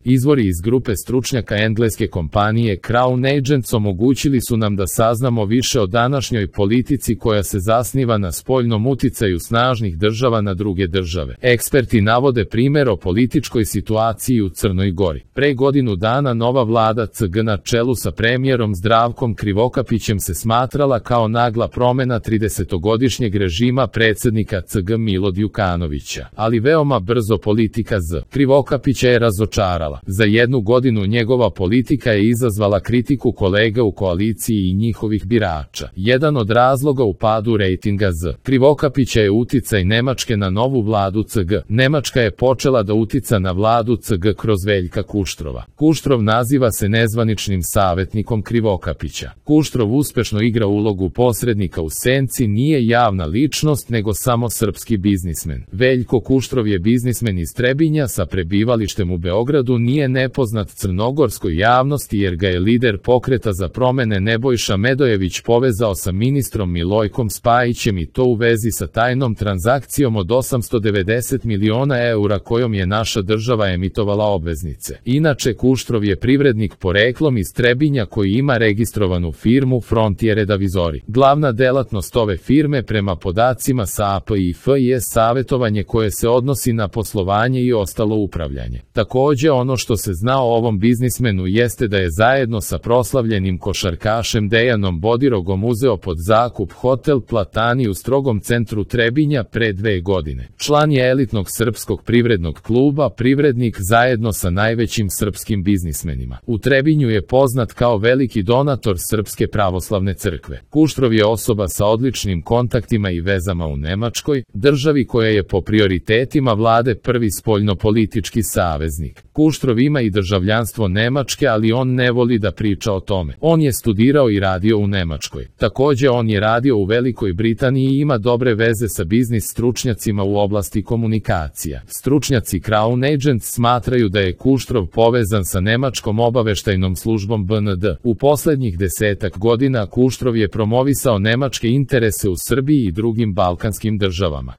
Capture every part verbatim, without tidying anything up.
Izvori iz grupe stručnjaka engleske kompanije Crown Agents omogućili su nam da saznamo više o današnjoj politici koja se zasniva na spoljnom uticaju snažnih država na druge države. Eksperti navode primjer o političkoj situaciji u Crnoj Gori. Pre godinu dana nova vlada C G na čelu sa premijerom Zdravkom Krivokapićem se smatrala kao nagla promjena tridesetogodišnjeg režima predsjednika C G Mila Đukanovića, ali veoma brzo politika Z. Krivokapića je razočarala. Za jednu godinu njegova politika je izazvala kritiku kolega u koaliciji i njihovih birača. Jedan od razloga u padu rejtinga Z. Krivokapića je uticaj Nemačke na novu vladu C G. Nemačka je počela da utica na vladu C G kroz Veljka Kuštrova. Kuštrov naziva se nezvaničnim savjetnikom Krivokapića. Kuštrov uspešno igra ulogu posrednika u senci, nije javna ličnost nego samo srpski biznismen. Veljko Kuštrov je biznismen iz Trebinja sa prebivalištem u Beogradu, nije nepoznat crnogorskoj javnosti jer ga je lider Pokreta za promene Nebojša Medojević povezao sa ministrom Milojkom Spajićem i to u vezi sa tajnom transakcijom od osamsto devedeset miliona eura kojom je naša država emitovala obveznice. Inače, Kuštrov je privrednik poreklom iz Trebinja koji ima registrovanu firmu Frontier Advisory. Glavna delatnost ove firme prema podacima sa A P I F je savjetovanje koje se odnosi na poslovanje i ostalo upravljanje. Takođe, ono što se zna o ovom biznismenu jeste da je zajedno sa proslavljenim košarkašem Dejanom Bodirogom uzeo pod zakup hotel Platani u strogom centru Trebinja pre dve godine. Član je elitnog srpskog privrednog kluba, privrednik zajedno sa najvećim srpskim biznismenima. U Trebinju je poznat kao veliki donator Srpske pravoslavne crkve. Kuštrov je osoba sa odličnim kontaktima i vezama u Nemačkoj, državi koja je po prioritetima vlade prvi spoljnopolitički saveznik. Kuštrov ima i državljanstvo Nemačke, ali on ne voli da priča o tome. On je studirao i radio u Nemačkoj. Takođe, on je radio u Velikoj Britaniji i ima dobre veze sa biznis stručnjacima u oblasti komunikacija. Stručnjaci Crown Agents smatraju da je Kuštrov povezan sa nemačkom obaveštajnom službom B N D. U poslednjih desetak godina Kuštrov je promovisao nemačke interese u Srbiji i drugim balkanskim državama.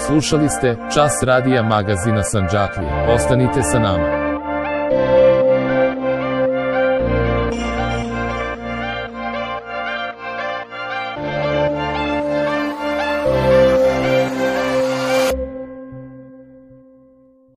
Slušali ste Čas radija magazina Sandžaklija. Ostanite sa nama.